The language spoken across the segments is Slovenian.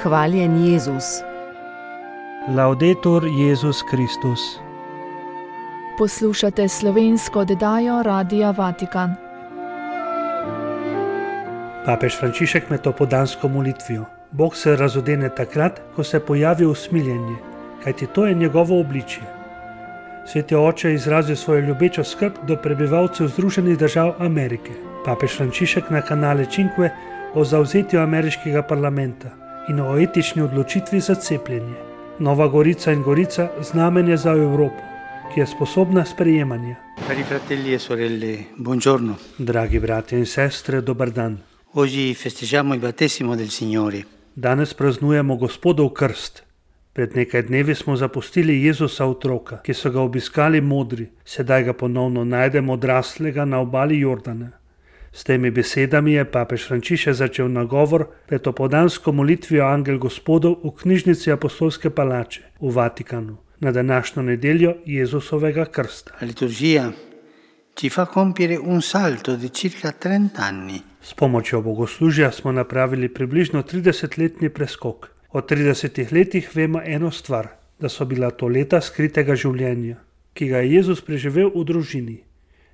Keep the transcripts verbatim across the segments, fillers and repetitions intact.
Hvaljen Jezus. Laudetur Jezus Kristus. Poslušate slovensko oddajo Radia Vatikan. Papež Frančišek med topodansko molitvijo. Bog se razodene takrat, ko se pojavi usmiljenje, kajti to je njegovo obličje. Sveti oče je izrazil svojo ljubečo skrb do prebivalcev Združenih držav Amerike. Papež Frančišek na kanale Cinque o zavzetju ameriškega parlamenta in o etični odločitvi za cepljenje. Nova Gorica in Gorica znamenje za Evropo, ki je sposobna sprejemanja. Cari fratelli e sorelle, buongiorno. Dragi bratje in sestre, dober dan. Oggi festeggiamo il battesimo del Signore. Danes praznujemo Gospodov krst. Pred nekaj dnevi smo zapustili Jezusa otroka, ki so ga obiskali modri, sedaj ga ponovno najdemo odraslega na obali Jordana. S temi besedami je papež Frančišek začel nagovor pred topodansko molitvijo Angel Gospodov v knjižnici Apostolske palače v Vatikanu na današnjo nedeljo Jezusovega krsta. La liturgia ci fa compiere un salto di circa trenta anni. S pomočjo bogoslužja smo napravili približno tridesetletni preskok. O tridesetih letih vemo eno stvar, da so bila to leta skritega življenja, ki ga je Jezus preživel v družini.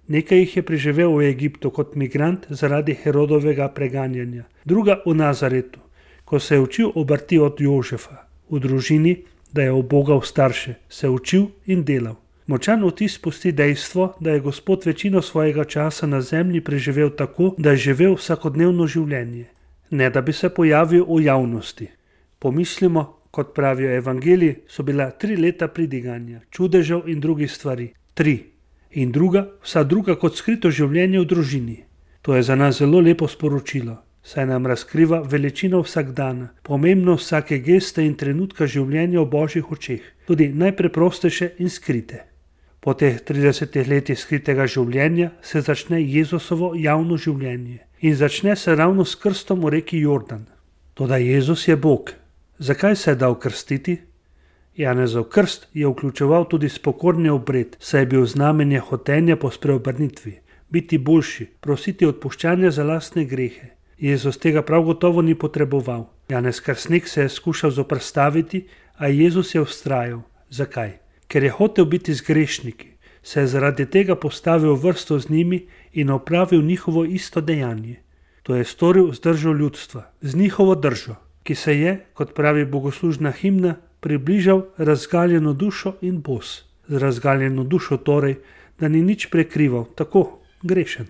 Nekaj jih je preživel v Egiptu kot migrant zaradi Herodovega preganjanja, druga v Nazaretu, ko se je učil obrti od Jožefa, v družini, da je ubogal starše, se učil in delal. Močan vtis pusti dejstvo, da je Gospod večino svojega časa na zemlji preživel tako, da je živel vsakodnevno življenje, ne da bi se pojavil v javnosti. Pomislimo, kot pravijo evangeliji, so bila tri leta pridiganja, čudežev in drugih stvari. Tri. In druga, vsa druga kot skrito življenje v družini. To je za nas zelo lepo sporočilo, saj nam razkriva veličino vsakdana, pomembno vsake geste in trenutka življenja v Božjih očeh, tudi najpreprostejše in skrite. Po teh tridesetih letih skritega življenja se začne Jezusovo javno življenje in začne se ravno s krstom v reki Jordan. Toda Jezus je Bog. Zakaj se je dal krstiti? Janezov krst je vključeval tudi spokorni obred, saj je bil znamenje hotenja po spreobrnitvi, biti boljši, prositi odpuščanja za lastne grehe. Jezus tega prav gotovo ni potreboval. Janez Krstnik se je skušal zoperstaviti, a Jezus je vztrajal. Zakaj? Ker je hotel biti z grešniki, se je zaradi tega postavil v vrsto z njimi in opravil njihovo isto dejanje. To je storil z držo ljudstva, z njihovo držo, ki se je, kot pravi bogoslužna himna, približal razgaljeno dušo in bos. Z razgaljeno dušo torej, da ni nič prekrival, tako grešen.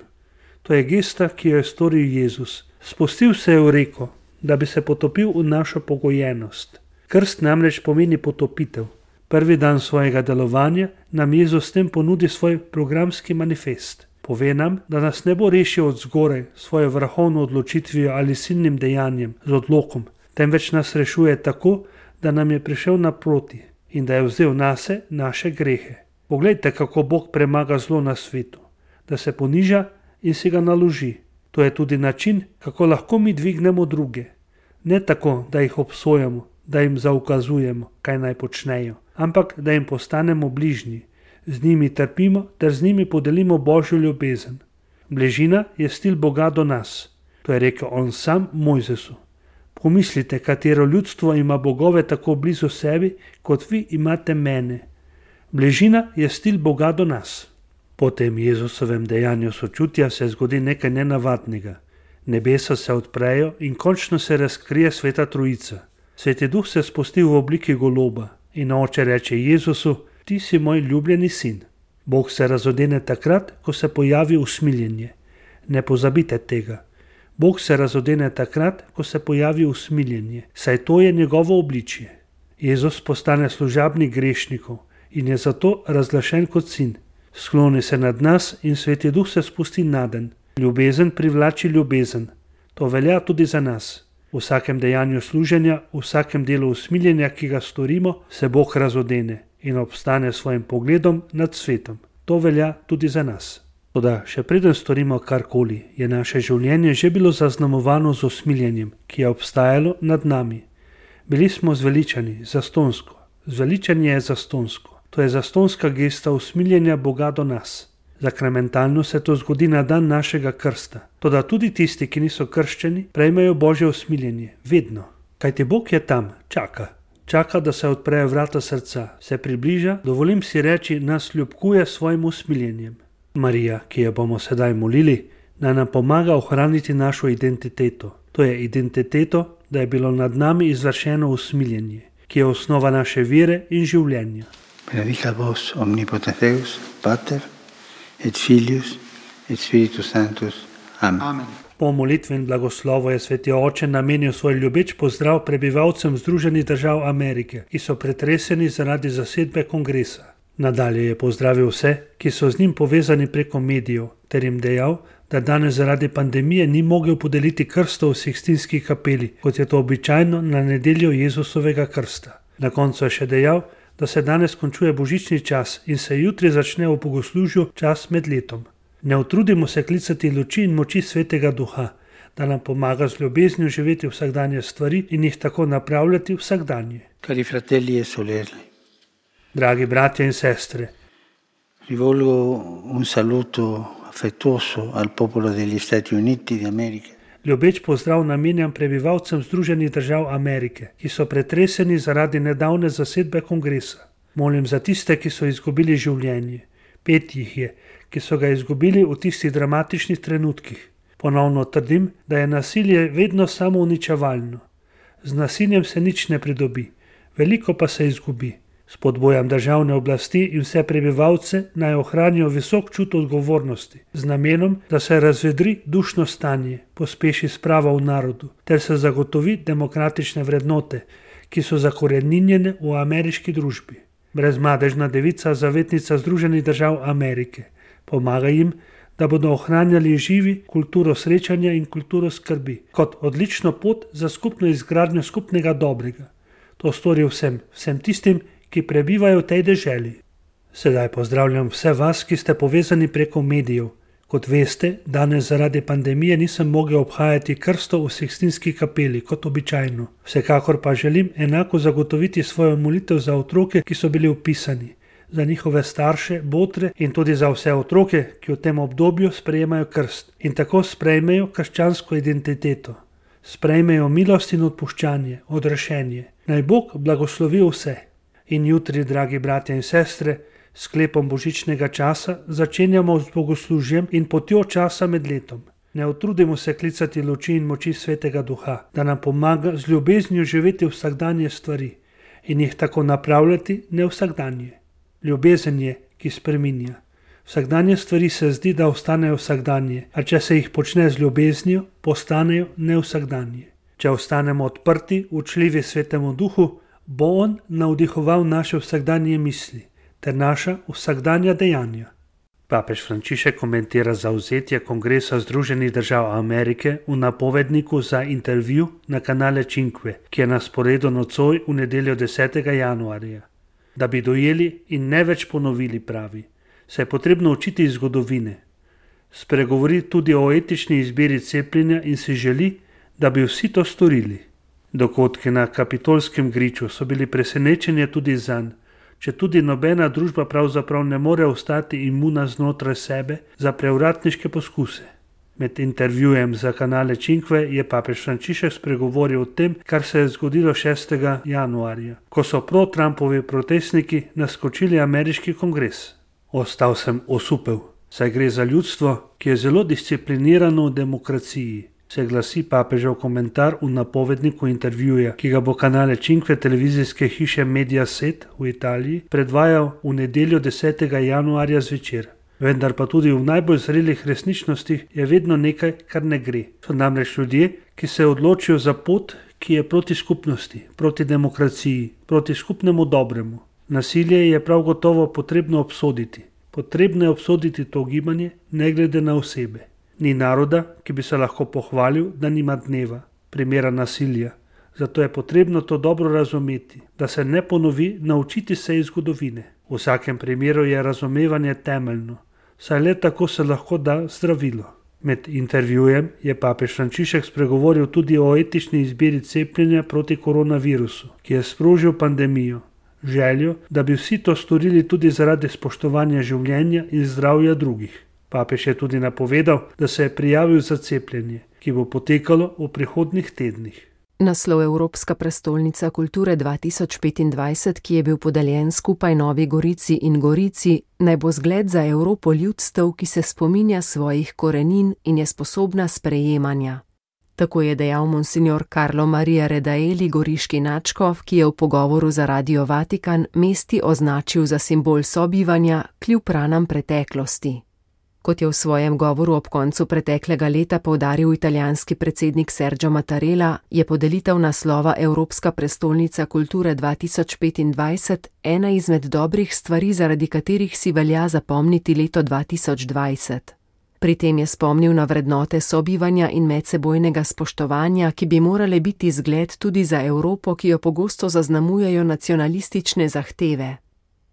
To je gesta, ki jo je storil Jezus. Spustil se je v reko, da bi se potopil v našo pogojenost. Krst namreč pomeni potopitev. Prvi dan svojega delovanja nam Jezus s tem ponudi svoj programski manifest. Pove nam, da nas ne bo rešil od zgoraj svojo vrhovno odločitvijo ali silnim dejanjem z odlokom, temveč nas rešuje tako, da nam je prišel naproti in da je vzel nase naše grehe. Poglejte, kako Bog premaga zlo na svetu, da se poniža in si ga naloži. To je tudi način, kako lahko mi dvignemo druge. Ne tako, da jih obsojamo, da jim zaukazujemo, kaj naj počnejo, ampak da jim postanemo bližnji. Z njimi trpimo ter z njimi podelimo Božjo ljubezen. Bližina je stil Boga do nas. To je rekel on sam Mojzesu. Pomislite, katero ljudstvo ima bogove tako blizu sebi, kot vi imate mene. Bližina je stil Boga do nas. Po tem Jezusovem dejanju sočutja se zgodi nekaj nenavadnega. Nebesa se odprejo in končno se razkrije Sveta Trojica. Sveti Duh se spusti v obliki goloba in oče reče Jezusu: ti si moj ljubljeni sin. Bog se razodene takrat, ko se pojavi usmiljenje. Ne pozabite tega. Bog se razodene takrat, ko se pojavi usmiljenje, saj to je njegovo obličje. Jezus postane služabnik grešnikov in je zato razglašen kot sin. Skloni se nad nas in Sveti Duh se spusti naden. Ljubezen privlači ljubezen. To velja tudi za nas. V vsakem dejanju služenja, v vsakem delu usmiljenja, ki ga storimo, se Bog razodene in obstane svojim pogledom nad svetom. To velja tudi za nas. Toda še preden storimo karkoli, je naše življenje že bilo zaznamovano z usmiljenjem, ki je obstajalo nad nami. Bili smo zveličani, zastonsko. Zveličanje je zastonsko. To je zastonska gesta usmiljenja Boga do nas. Zakramentalno se to zgodi na dan našega krsta. Toda tudi tisti, ki niso krščeni, prejmejo Božje usmiljenje. Vedno. Kajti Bog je tam, čaka. Čaka, da se odprejo vrata srca, se približa, dovolim si reči, nas ljubkuje s svojim usmiljenjem. Marija, ki jo bomo sedaj molili, naj nam pomaga ohraniti našo identiteto. To je identiteto, da je bilo nad nami izvršeno usmiljenje, ki je osnova naše vere in življenja. Benedicat vos omnipotens Deus, Pater et Filius et Spiritus Sanctus. Amen. Amen. Po molitvi in blagoslovu je Sveti Oče namenil svoj ljubeč pozdrav prebivalcem Združenih držav Amerike, ki so pretreseni zaradi zasedbe kongresa. Nadalje je pozdravil vse, ki so z njim povezani preko medijev, ter jim dejal, da danes zaradi pandemije ni mogel podeliti krstov v Sikstinski kapeli, kot je to običajno na nedeljo Jezusovega krsta. Na koncu je še dejal, da se danes končuje božični čas in se jutri začne v bogoslužju čas med letom. Ne utrudimo se klicati luči in moči Svetega Duha, da nam pomaga z ljubeznijo živeti vsakdanje stvari in jih tako napravljati vsakdanje. Cari fratelli e sorelle, Dragi bratje in sestre, rivolgo un saluto affettuoso al popolo degli Stati Uniti d'America. Ljubeč pozdrav namenjam prebivalcem Združenih držav Amerike, ki so pretreseni zaradi nedavne zasedbe kongresa. Molim za tiste, ki so izgubili življenje. Pet jih je, ki so ga izgubili v tistih dramatičnih trenutkih. Ponovno trdim, da je nasilje vedno samo uničevalno. Z nasiljem se nič ne pridobi, veliko pa se izgubi. Spodbujam državne oblasti in vse prebivalce naj ohranijo visok čut odgovornosti, z namenom, da se razvedri dušno stanje, pospeši sprava v narodu, ter se zagotovi demokratične vrednote, ki so zakoreninjene v ameriški družbi. Brezmadežna devica, zavetnica Združenih držav Amerike, pomaga jim, da bodo ohranjali živi kulturo srečanja in kulturo skrbi, kot odlično pot za skupno izgradnjo skupnega dobrega. To stori vsem, vsem tistim, ki prebivajo v tej deželi. Sedaj pozdravljam vse vas, ki ste povezani preko medijev. Kot veste, danes zaradi pandemije nisem mogel obhajati krstov v Sikstinski kapeli, kot običajno. Vsekakor pa želim enako zagotoviti svojo molitev za otroke, ki so bili vpisani, za njihove starše, botre in tudi za vse otroke, ki v tem obdobju sprejemajo krst in tako sprejmejo krščansko identiteto. Sprejmejo milost in odpuščanje, odrešenje. Naj Bog blagoslovi vse. In jutri, dragi bratje in sestre, sklepom božičnega časa začenjamo z bogoslužjem in potjo časa med letom. Ne utrudimo se klicati luči in moči Svetega Duha, da nam pomaga z ljubeznijo živeti vsakdanje stvari in jih tako napravljati ne vsakdanje. Ljubezen je, ki spreminja. Vsakdanje stvari se zdi, da ostanejo vsakdanje, a če se jih počne z ljubeznijo, postanejo ne vsakdanje. Če ostanemo odprti, učljivi Svetemu Duhu, bo on navdihoval naše vsakdanje misli ter naša vsakdanja dejanja. Papež Frančišek komentira zavzetje Kongresa Združenih držav Amerike v napovedniku za intervju na kanale Cinque, ki je na sporedu nocoj v nedeljo desetega januarja. Da bi dojeli in ne več ponovili, pravi, se je potrebno učiti iz zgodovine. Spregovori tudi o etični izbiri cepljenja in si želi, da bi vsi to storili. Dogodki na Kapitolskem griču so bili presenečenje tudi zanj, če tudi nobena družba pravzaprav ne more ostati imuna znotraj sebe za prevratniške poskuse. Med intervjujem za kanale Cinque je papež Frančišek spregovoril o tem, kar se je zgodilo šestega januarja, ko so pro-Trumpovi protestniki naskočili ameriški kongres. Ostal sem osupel, saj gre za ljudstvo, ki je zelo disciplinirano v demokraciji, se glasi papežev komentar v napovedniku intervjuja, ki ga bo kanale Cinque televizijske hiše Mediaset v Italiji predvajal v nedeljo desetega januarja zvečer. Vendar pa tudi v najbolj zrelih resničnostih je vedno nekaj, kar ne gre. So namreč ljudje, ki se odločijo za pot, ki je proti skupnosti, proti demokraciji, proti skupnemu dobremu. Nasilje je prav gotovo potrebno obsoditi. Potrebno je obsoditi to gibanje, ne glede na osebe. Ni naroda, ki bi se lahko pohvalil, da nima dneva, primera nasilja. Zato je potrebno to dobro razumeti, da se ne ponovi, naučiti se iz zgodovine. V vsakem primeru je razumevanje temeljno, saj le tako se lahko da zdravilo. Med intervjujem je papež Frančišek spregovoril tudi o etični izbiri cepljenja proti koronavirusu, ki je sprožil pandemijo. Željo, da bi vsi to storili tudi zaradi spoštovanja življenja in zdravja drugih. Papež je tudi napovedal, da se je prijavil za cepljenje, ki bo potekalo v prihodnjih tednih. Naslov Evropska prestolnica kulture dva tisoč petindvajset, ki je bil podeljen skupaj Novi Gorici in Gorici, naj bo zgled za Evropo ljudstev, ki se spominja svojih korenin in je sposobna sprejemanja. Tako je dejal monsignor Carlo Maria Redaeli, goriški nadškof, ki je v pogovoru za Radio Vatikan mesti označil za simbol sobivanja kljub ranam preteklosti. Kot je v svojem govoru ob koncu preteklega leta poudaril italijanski predsednik Sergio Mattarella, je podelitev naslova Evropska prestolnica kulture dva tisoč petindvajset ena izmed dobrih stvari, zaradi katerih si velja zapomniti leto dva tisoč dvajset. Pri tem je spomnil na vrednote sobivanja in medsebojnega spoštovanja, ki bi morale biti zgled tudi za Evropo, ki jo pogosto zaznamujejo nacionalistične zahteve.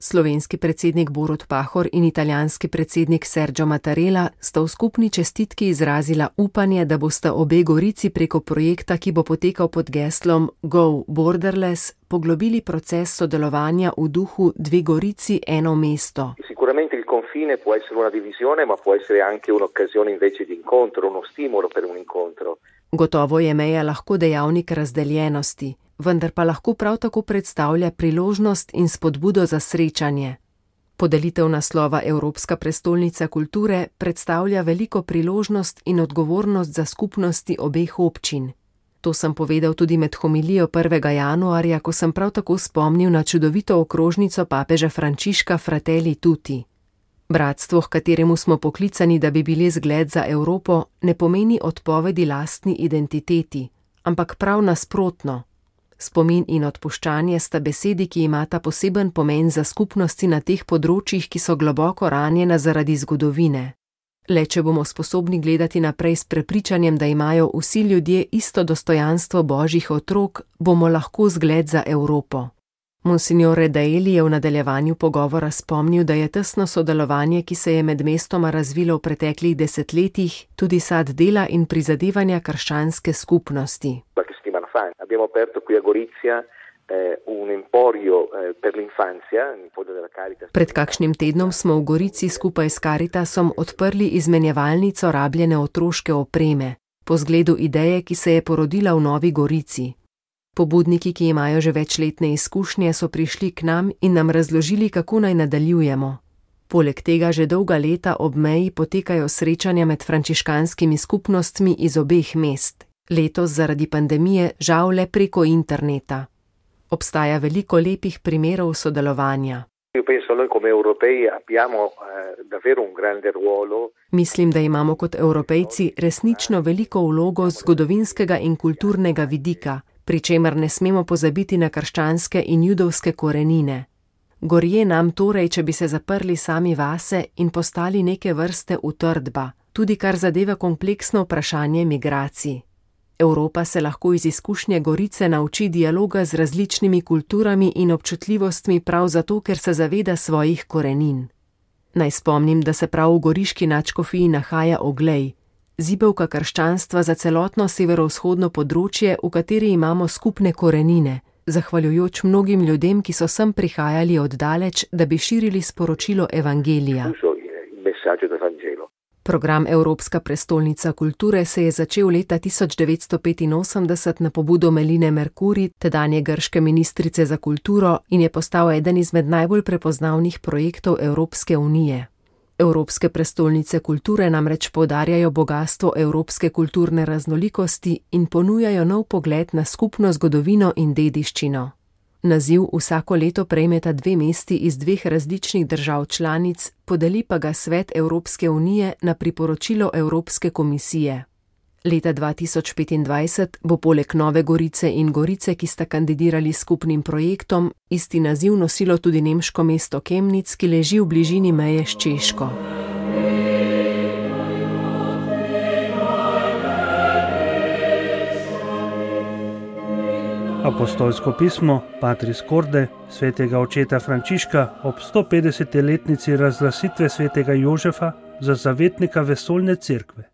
Slovenski predsednik Borut Pahor in italijanski predsednik Sergio Mattarella sta v skupni čestitki izrazila upanje, da bosta obe Gorici preko projekta, ki bo potekal pod geslom Go Borderless, poglobili proces sodelovanja v duhu Dve Gorici, eno mesto. Sicuramente il confine può essere una divisione, ma può essere anche un'occasione invece di incontro, uno stimolo per un incontro. Gotovo je meja lahko dejavnik razdeljenosti, vendar pa lahko prav tako predstavlja priložnost in spodbudo za srečanje. Podelitev naslova Evropska prestolnica kulture predstavlja veliko priložnost in odgovornost za skupnosti obeh občin. To sem povedal tudi med homilijo prvega januarja, ko sem prav tako spomnil na čudovito okrožnico papeža Frančiška Fratelli Tutti. Bratstvo, h kateremu smo poklicani, da bi bili zgled za Evropo, ne pomeni odpovedi lastni identiteti, ampak prav nasprotno. Spomin in odpuščanje sta besedi, ki imata poseben pomen za skupnosti na teh področjih, ki so globoko ranjena zaradi zgodovine. Le če bomo sposobni gledati naprej s prepričanjem, da imajo vsi ljudje isto dostojanstvo božjih otrok, bomo lahko zgled za Evropo. Monsignor Redaeli je v nadaljevanju pogovora spomnil, da je tesno sodelovanje, ki se je med mestoma razvilo v preteklih desetletjih, tudi sad dela in prizadevanja krščanske skupnosti. Abbiamo aperto qui a Gorizia eh, un emporio eh, per l'infanzia, in fondo della Caritas. Pred kakšnim tednom smo v Gorici skupaj s Caritasom odprli izmenjevalnico rabljene otroške opreme, po zgledu ideje, ki se je porodila v Novi Gorici. Pobudniki, ki imajo že večletne izkušnje, so prišli k nam in nam razložili, kako naj nadaljujemo. Poleg tega že dolga leta ob meji potekajo srečanja med frančiškanskimi skupnostmi iz obeh mest. Letos zaradi pandemije žal le preko interneta. Obstaja veliko lepih primerov sodelovanja. Mislim, da imamo kot Evropejci resnično veliko vlogo z zgodovinskega in kulturnega vidika, pri čemer ne smemo pozabiti na krščanske in judovske korenine. Gorje nam torej, če bi se zaprli sami vase in postali neke vrste utrdba, tudi kar zadeva kompleksno vprašanje migracij. Evropa se lahko iz izkušnje Gorice nauči dialoga z različnimi kulturami in občutljivostmi prav zato, ker se zaveda svojih korenin. Naj spomnim, da se prav v goriški nadškofiji nahaja Oglej, zibelka krščanstva za celotno severovzhodno področje, v kateri imamo skupne korenine, zahvaljujoč mnogim ljudem, ki so sem prihajali oddaleč, da bi širili sporočilo Evangelija. Program Evropska prestolnica kulture se je začel leta tisoč devetsto petinosemdeset na pobudo Meline Mercuri, tedanje grške ministrice za kulturo, in je postal eden izmed najbolj prepoznavnih projektov Evropske unije. Evropske prestolnice kulture namreč poudarjajo bogastvo evropske kulturne raznolikosti in ponujajo nov pogled na skupno zgodovino in dediščino. Naziv vsako leto prejmeta dve mesti iz dveh različnih držav članic, podeli pa ga Svet Evropske unije na priporočilo Evropske komisije. Leta dva tisoč petindvajset bo poleg Nove Gorice in Gorice, ki sta kandidirali skupnim projektom, isti naziv nosilo tudi nemško mesto Chemnitz, ki leži v bližini meje s Češko. Apostolsko pismo Patris Corde svetega očeta Frančiška ob sto petdesetletnici razglasitve svetega Jožefa za zavetnika vesoljne cerkve.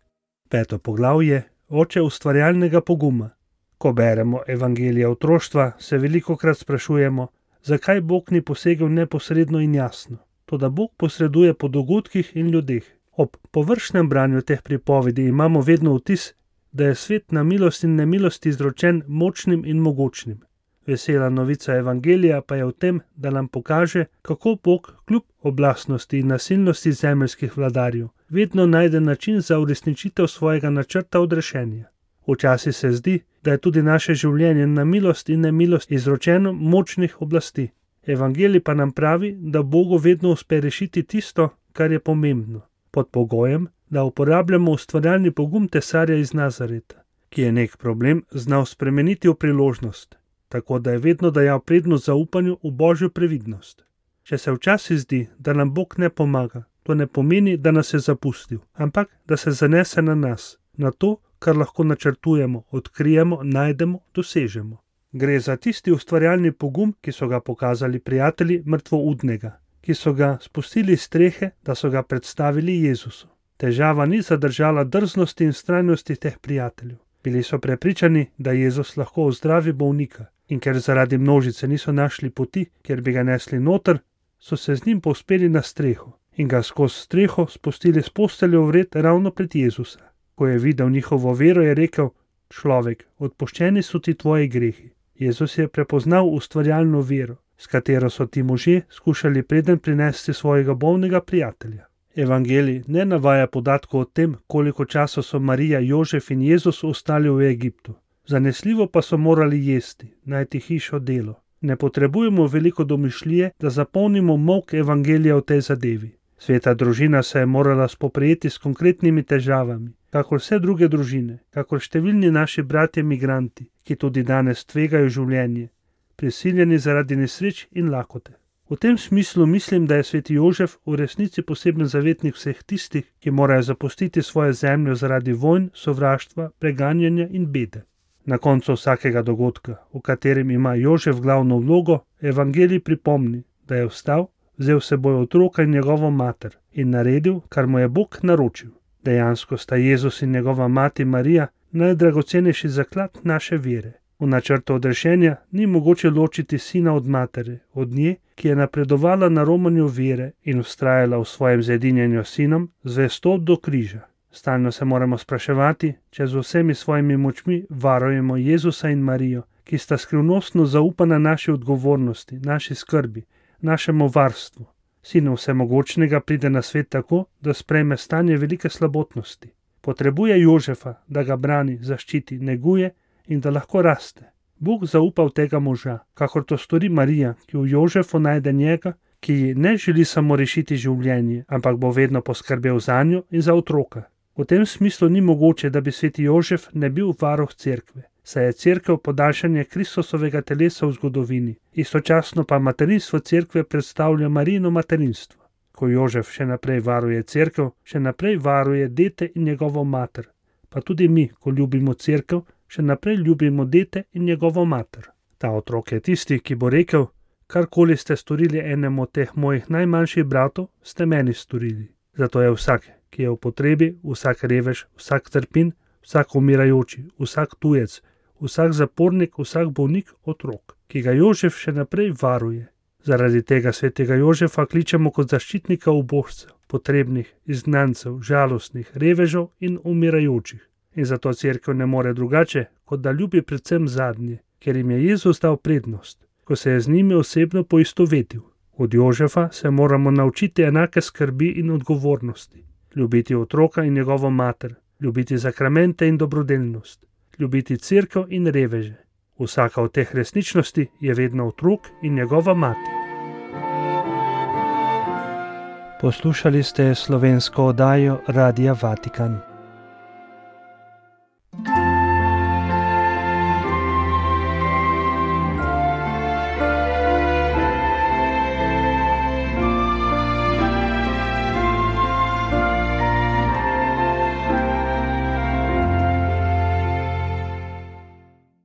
Peto poglavje, oče ustvarjalnega poguma. Ko beremo evangelija otroštva, se velikokrat sprašujemo, zakaj Bog ni posegel neposredno in jasno. Toda Bog posreduje po dogodkih in ljudeh. Ob površnem branju teh pripovedi imamo vedno vtis, da je svet na milost in nemilost izročen močnim in mogočnim. Vesela novica evangelija pa je v tem, da nam pokaže, kako Bog kljub oblastnosti in nasilnosti zemeljskih vladarjev vedno najde način za uresničitev svojega načrta odrešenja. Včasih se zdi, da je tudi naše življenje na milost in nemilost izročeno močnih oblasti. Evangelij pa nam pravi, da Bogu vedno uspe rešiti tisto, kar je pomembno, pod pogojem, da uporabljamo ustvarjalni pogum tesarja iz Nazareta, ki je nek problem znal spremeniti v priložnost, tako da je vedno dajal prednost zaupanju v Božjo previdnost. Če se včasih zdi, da nam Bog ne pomaga, to ne pomeni, da nas je zapustil, ampak da se zanese na nas, na to, kar lahko načrtujemo, odkrijemo, najdemo, dosežemo. Gre za tisti ustvarjalni pogum, ki so ga pokazali prijatelji mrtvoudnega, ki so ga spustili iz strehe, da so ga predstavili Jezusu. Težava ni zadržala drznosti in vztrajnosti teh prijateljev. Bili so prepričani, da Jezus lahko ozdravi bolnika, in ker zaradi množice niso našli poti, kjer bi ga nesli noter, so se z njim povzpeli na streho in ga skozi streho spustili s posteljo vred ravno pred Jezusa. Ko je videl njihovo vero, je rekel: človek, odpuščeni so ti tvoji grehi. Jezus je prepoznal ustvarjalno vero, s katero so ti možje skušali preden prinesti svojega bolnega prijatelja. Evangelij ne navaja podatkov o tem, koliko časa so Marija, Jožef in Jezus ostali v Egiptu. Zanesljivo pa so morali jesti, najti hišo, delo. Ne potrebujemo veliko domišljije, da zapolnimo molk evangelija v tej zadevi. Sveta družina se je morala spoprijeti s konkretnimi težavami, kakor vse druge družine, kakor številni naši bratje migranti, ki tudi danes tvegajo življenje, prisiljeni zaradi nesreč in lakote. V tem smislu mislim, da je sveti Jožef v resnici poseben zavetnik vseh tistih, ki morajo zapustiti svojo zemljo zaradi vojn, sovraštva, preganjanja in bede. Na koncu vsakega dogodka, v katerem ima Jožef glavno vlogo, evangelij pripomni, da je vstal, vzel seboj otroka in njegovo mater in naredil, kar mu je Bog naročil. Dejansko sta Jezus in njegova mati Marija najdragocenejši zaklad naše vere. V načrtu odrešenja ni mogoče ločiti sina od matere, od nje, ki je napredovala na romanju vere in vztrajala v svojem zedinjenju s sinom, zvesto do križa. Stalno se moramo spraševati, če z vsemi svojimi močmi varujemo Jezusa in Marijo, ki sta skrivnostno zaupana naši odgovornosti, naši skrbi, našemu varstvu. Sin vsemogočnega pride na svet tako, da sprejme stanje velike slabotnosti. Potrebuje Jožefa, da ga brani, zaščiti, neguje in da lahko raste. Bog zaupa v tega moža, kakor to stori Marija, ki v Jožefu najde njega, ki ji ne želi samo rešiti življenje, ampak bo vedno poskrbel zanjo in za otroka. V tem smislu ni mogoče, da bi sveti Jožef ne bil varuh cerkve, saj je cerkev podaljšanje Kristusovega telesa v zgodovini, istočasno pa materinstvo cerkve predstavlja Marijino materinstvo. Ko Jožef še naprej varuje cerkev, še naprej varuje dete in njegovo mater, pa tudi mi, ko ljubimo cerkev, še naprej ljubimo dete in njegovo mater. Ta otrok je tisti, ki bo rekel: karkoli ste storili enemu od teh mojih najmanjših bratov, ste meni storili. Zato je vsak, ki je v potrebi, vsak revež, vsak trpin, vsak umirajoči, vsak tujec, vsak zapornik, vsak bolnik otrok, ki ga Jožef še naprej varuje. Zaradi tega svetega Jožefa kličemo kot zaščitnika ubožcev, potrebnih, izgnancev, žalostnih, revežev in umirajočih. In zato cerkev ne more drugače, kot da ljubi predvsem zadnje, ker jim je Jezus dal prednost, ko se je z njimi osebno poistovetil. Od Jožefa se moramo naučiti enake skrbi in odgovornosti. Ljubiti otroka in njegovo mater, ljubiti zakramente in dobrodelnost, ljubiti cerkev in reveže. Vsaka od teh resničnosti je vedno otrok in njegova mati. Poslušali ste slovensko oddajo Radia Vatikan.